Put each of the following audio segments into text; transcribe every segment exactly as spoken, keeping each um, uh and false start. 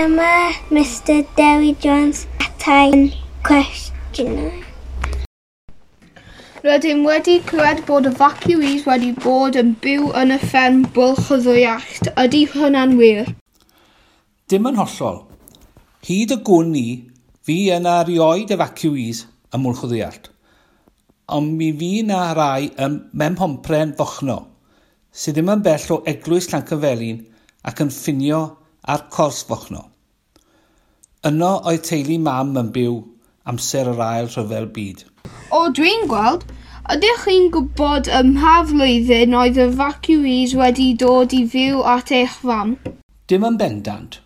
Dyma Mister Dewi Jones ateb cwestiynau. Rydym wedi clywed bod evacuees wedi bod yn byw yn y fferm Bwlch y Ddwyallt. Ydy hwnna'n wir? Dim yn hollol. Hyd y gwn i, fu yna erioed evacuees ym Mwlch y Ddwyallt. Ond mi fu 'na rai ym Mhenpompren Fochno, sydd ddim yn bell o Eglwys Llancyfelin ac yn ffinio ar Cors Fochno. Yno oedd teulu mam yn byw amser yr Ail Rhyfel Byd. O, dwi'n gweld. Ydych chi'n gwybod ym mha flwyddyn oedd y evacuees wedi dod i fyw at eich fam? Dim yn bendant,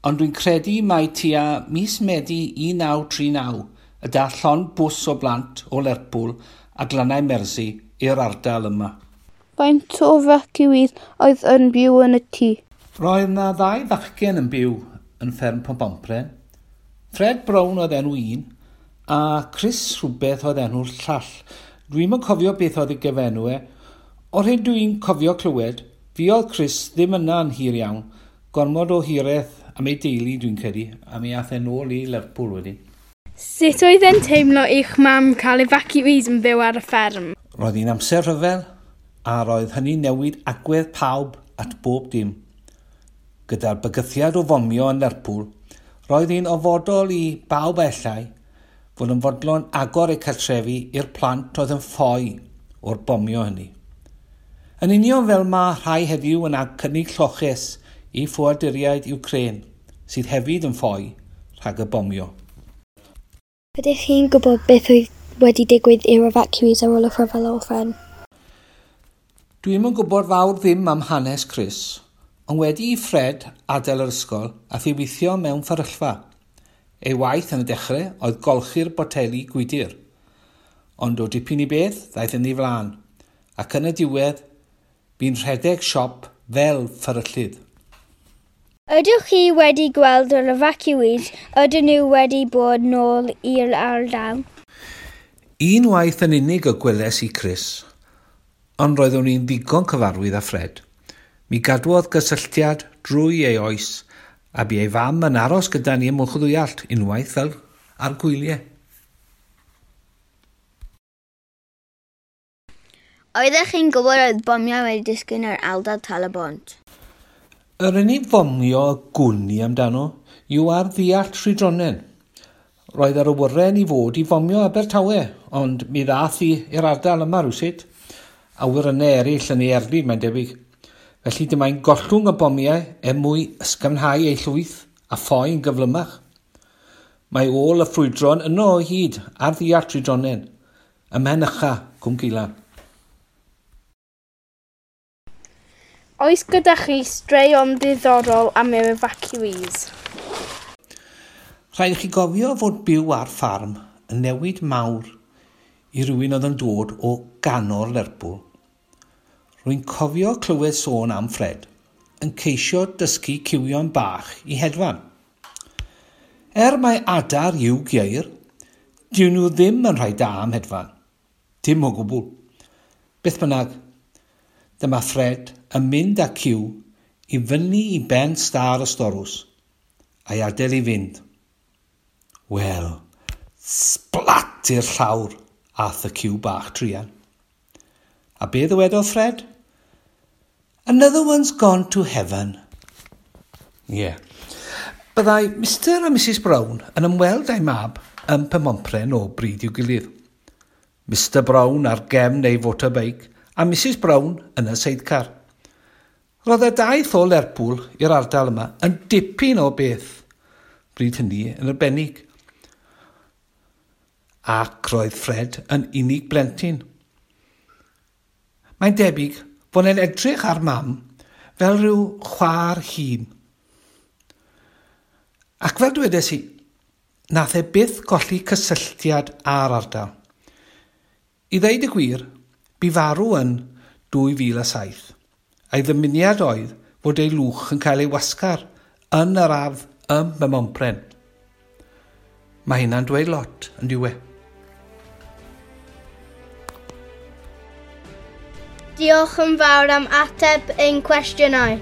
ond dwi'n credu mai tua mis Medi un naw tri naw y dath llond bws o blant o Lerpwl a Glannau Mersi i'r ardal yma. Faint o evacuees oedd yn byw yn y tŷ? Roedd 'na ddau fachgen yn byw yn fferm Penpompren. Fred Brown oedd enw un, a Chris rhywbeth oedd enw'r llall. Dwi'm yn cofio beth oedd ei gyfenw e. O'r hyn dwi'n cofio clywed, fuodd Chris ddim yna yn hir iawn. Gormod o hiraeth am ei deulu dwi'n credu, a mi ath e nôl i Lerpwl wedyn. Sut oedd e'n teimlo i'ch mam cael evacuees yn byw ar y fferm? Roedd hi'n amser rhyfel, a roedd hynny'n newid agwedd pawb at bob dim. Gyda'r bygythiad o fomio yn Lerpwl, roedd hi'n ofodol i bawb ellai fod yn fodlon agor eu cartrefi i'r plant oedd yn ffoi o'r bomio hynny. Yn union fel mae rhai heddiw yn cynnig lloches i ffoaduriaid Ukraine, sydd hefyd yn ffoi rhag y bomio. Ydych chi'n gwybod beth oedd wedi digwydd i'r evacuees ar ôl y rhyfel orffen? Dwi'm yn gwybod fawr ddim am hanes Chris, ond wedi i Fred adael yr ysgol, ath i weithio mewn fferyllfa. Ei waith yn y dechrau oedd golchi'r boteli gwydr. Ond o dipyn i beth, ddaeth yn ei flaen, ac yn y diwedd, bu'n rhedeg siop fel fferyllydd. Ydych chi wedi gweld yr evacuees? Ydyn nhw wedi bod nôl i'r ardal? Unwaith yn unig y gweles i Chris, ond roeddwn i'n ddigon cyfarwydd â Fred. Mi gadwodd gysylltiad drwy ei oes, a bu ei fam yn aros gyda ni ym Mwlch y Ddwyallt unwaith fel ar gwyliau. Oeddech chi'n gwybod oedd bomiau wedi disgyn ar ardal Tal-y-bont? Yr unig fomio gwn i amdano yw ar Dduallt Rhydronen. Roedd yr awyren i fod i fomio Abertawe, ond mi ddath i i'r ardal yma rywsut. Awyrennau eraill yn ei erlid, mae'n debyg. Felly dyma'n gollwng y bomiau er mwyn ysgafnhau ei llwyth a ffoi yn gyflymach. Mae ôl y ffrwydron yno o hyd ar Dduallt Rhydronen, ym Mhenycha, Cwm Geulan. Oes gyda chi straeon diddorol am yr evacuees? Rhaid i chi gofio fod byw ar ffarm yn newid mawr i rywun oedd yn dod o ganol Lerpwl. Rwy'n cofio clywed sôn am Fred yn ceisio dysgu cywion bach i hedfan. Er mai adar yw ceir, dyn nhw ddim yn rhai da am hedfan. Dim o gwbl. Beth bynnag, dyma Fred yn mynd â cyw i fyny i ben stâr y storws, a'i adael i fynd. Wel, splat i'r llawr ath y cyw bach truan. A be ddywedodd Fred? Another one's gone to heaven. Ie. Yeah. Byddai Mister a Missus Brown yn ymweld â'i mab ym Mhenpompren o bryd i'w gilydd. Mister Brown ar gefn ei motorbike a Missus Brown yn y sidecar. Roedd y daith o Lerpwl i'r ardal yma yn dipyn o beth, bryd hynny yn arbennig. Ac roedd Fred yn unig blentyn. Mae'n debyg fod e'n edrych ar mam fel rhyw chwaer hŷn. Ac fel dwedes i, nath e byth golli cysylltiad â'r ardal. I ddeud y gwir, bu farw yn dwy fil a saith, a'i ddymuniad oedd fod ei lwch yn cael ei wasgar yn yr ardd ym Mhenpompren. Mae hynna'n dweud lot, yn diwe. Diolch yn fawr am ateb ein cwestiynau.